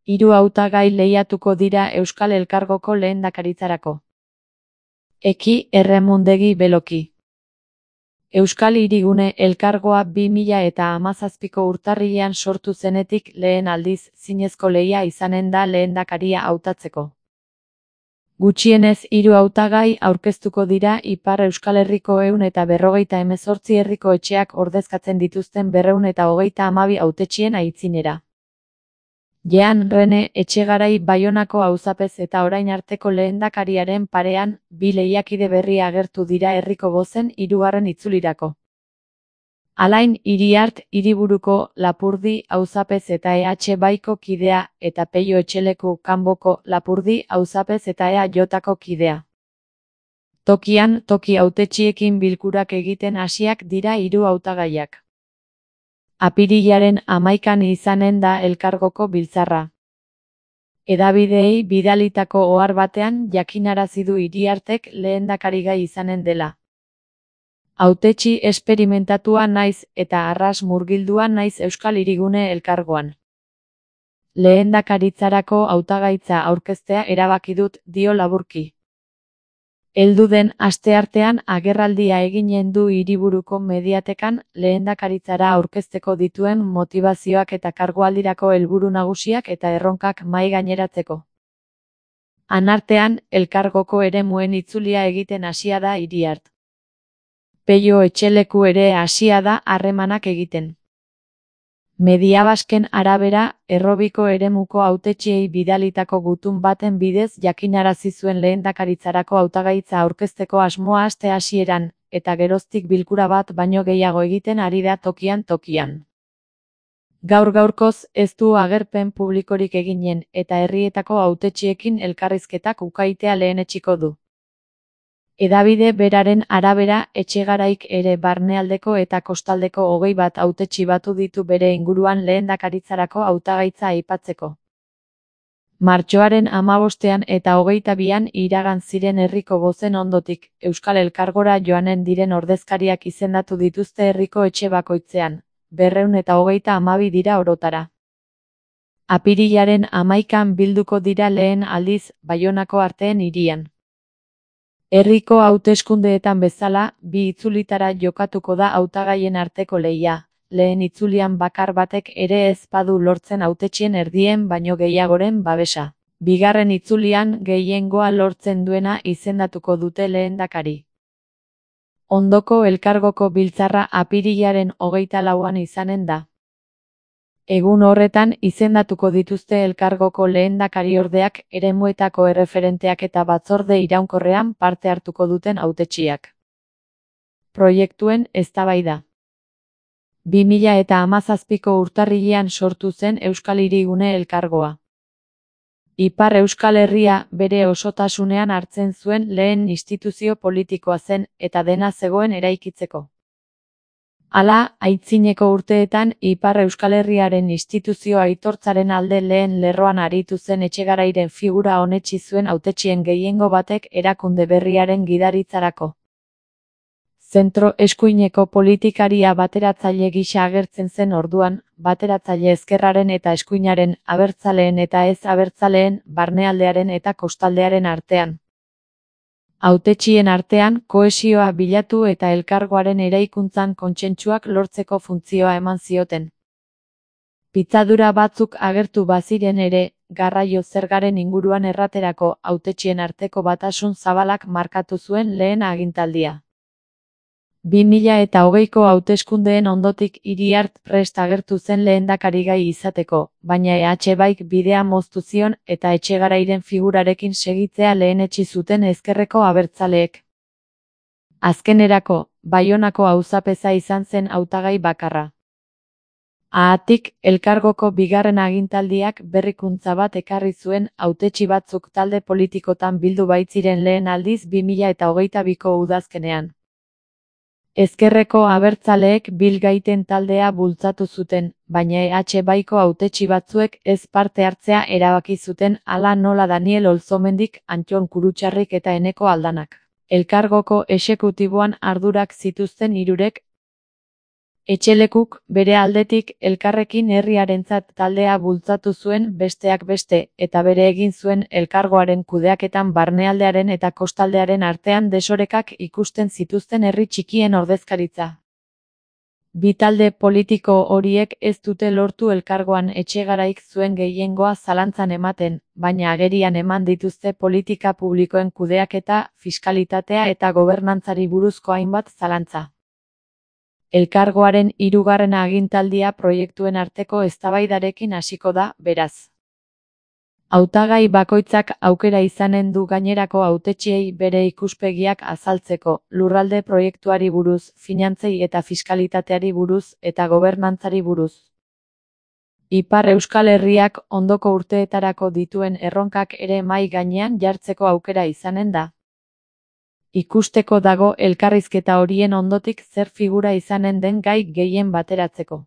Hiru hautagai lehiatuko dira Euskal Elkargoko lehendakaritzarako. Eki Erremundegi Beloki. Euskal Hirigune Elkargoa 2017ko urtarrilean sortu zenetik lehen aldiz zinezko lehia izanen da lehendakaria hautatzeko. Gutxienez 3 hautagai aurkeztuko dira Ipar Euskal Herriko 158 herriko etxeak ordezkatzen dituzten 232 hautetsien aitzinera. Jean Rene Etxegarai Baionako auzapez eta orain arteko lehendakariaren parean, 2 lehiakide berri agertu dira herriko bozen 3. itzulirako. Alain Iriart Hiriburuko Lapurdi auzapez eta EH Baiko kidea eta Peio Etxeleku Kanboko Lapurdi auzapez eta EAJko kidea. Tokian toki hautetxiekin bilkurak egiten hasiak dira 3 hautagaiak. Apirilaren 11an izanen da elkargoko biltzarra. Hedabideei bidalitako ohar batean jakinarazi du Iriartek lehendakarigai izanen dela. Hautetsi esperimentatua naiz eta arras murgildua naiz Euskal Hirigune Elkargoan. Lehendakaritzarako hautagaitza aurkeztea erabaki dut, dio laburki. Heldu den asteartean agerraldia eginen du Hiriburuko Mediatekan lehendakaritzara aurkezteko dituen motibazioak eta kargualdirako helburu nagusiak eta erronkak mahai gaineratzeko. Anartean, elkargoko eremuen itzulia egiten hasia da Iriart. Peio Etxeleku ere hasia da harremanak egiten. Mediabasken arabera, Errobiko eremuko hautetxiei bidalitako gutun baten bidez jakinarazi zuen lehendakaritzarako hautagaitza aurkezteko asmoa aste hasieran, eta geroztik bilkura bat baino gehiago egiten ari da tokian. Gaur-gaurkoz ez du agerpen publikorik eginen eta herrietako hautetxiekin elkarrizketak ukaitea lehenetsiko du. Hedabide beraren arabera, Etxegaraik ere barnealdeko eta kostaldeko 21 hautetsi batu ditu bere inguruan lehendakaritzarako hautagaitza aipatzeko. Martxoaren 15ean eta 22an iragan ziren herriko bozen ondotik, Euskal Elkargora joanen diren ordezkariak izendatu dituzte herriko etxe bakoitzean, 232 dira orotara. Apirilaren 11an bilduko dira lehen aldiz, Baionako Arteen hirian. Herriko hauteskundeetan bezala, 2 itzulitara jokatuko da hautagaien arteko lehia, lehen itzulian bakar batek ere ez badu lortzen hautetxien erdien baino gehiagoren babesa. Bigarren itzulian gehiengoa lortzen duena izendatuko dute lehendakari. Ondoko elkargoko biltzarra apirilaren 24an izanen da. Egun horretan izendatuko dituzte elkargoko lehendakariordeak, eremuetako erreferenteak eta batzorde iraunkorrean parte hartuko duten hautetsiak. Proiektuen eztabaida. 2017ko urtarrilean sortu zen Euskal Hirigune Elkargoa. Ipar Euskal Herria bere osotasunean hartzen zuen lehen instituzio politikoa zen eta dena zegoen eraikitzeko. Hala, aitzineko urteetan Ipar Euskal Herriaren instituzio aitortzaren alde lehen lerroan aritu zen Etxegarairen figura onetsi zuen hautetsien gehiengo batek erakunde berriaren gidaritzarako. Zentro eskuineko politikaria bateratzaile gisa agertzen zen orduan, bateratzaile ezkerraren eta eskuinaren, abertzaleen eta ez abertzaleen, barnealdearen eta kostaldearen artean. Hautetsien artean kohesioa bilatu eta elkargoaren eraikuntzan kontsentsuak lortzeko funtzioa eman zioten. Pitzadura batzuk agertu baziren ere, garraio zergaren inguruan erraterako hautetsien arteko batasun zabalak markatu zuen lehen agintaldia. 2020ko hauteskundeen ondotik Iriart prest agertu zen lehendakarigai izateko, baina EH Baik bidea moztu zion eta Etxegarairen figurarekin segitzea lehenetsi zuten ezkerreko abertzaleek. Azkenerako, Baionako auzapeza izan zen hautagai bakarra. Haatik, elkargoko bigarren agintaldiak berrikuntza bat ekarri zuen hautetsi batzuk talde politikotan bildu baitziren lehen aldiz 2022ko udazkenean. Ezkerreko abertzaleek bilgaiten taldea bultzatu zuten, baina EH Baiko hautetsi batzuek ez parte hartzea erabaki zuten hala nola Daniel Olzomendik, Antton Kurutxarrik eta Eneko Aldanak. Elkargoko exekutiboan ardurak zituzten hirurek Etxelekuk, bere aldetik, elkarrekin herriarentzat taldea bultzatu zuen besteak beste, eta bere egin zuen elkargoaren kudeaketan barnealdearen eta kostaldearen artean desorekak ikusten zituzten herri txikien ordezkaritza. Bi talde politiko horiek ez dute lortu elkargoan Etxegaraik zuen gehiengoa zalantzan ematen, baina agerian eman dituzte politika publikoen kudeaketa, fiskalitatea eta gobernantzari buruzko hainbat zalantza. Elkargoaren 3. agintaldia proiektuen arteko eztabaidarekin hasiko da, beraz. Hautagai bakoitzak aukera izanen du gainerako hautetsiei bere ikuspegiak azaltzeko, lurralde proiektuari buruz, finantzei eta fiskalitateari buruz eta gobernantzari buruz. Ipar Euskal Herriak ondoko urteetarako dituen erronkak ere mahai gainean jartzeko aukera izanen da. Ikusteko dago elkarrizketa horien ondotik zer figura izanen den gai gehien bateratzeko.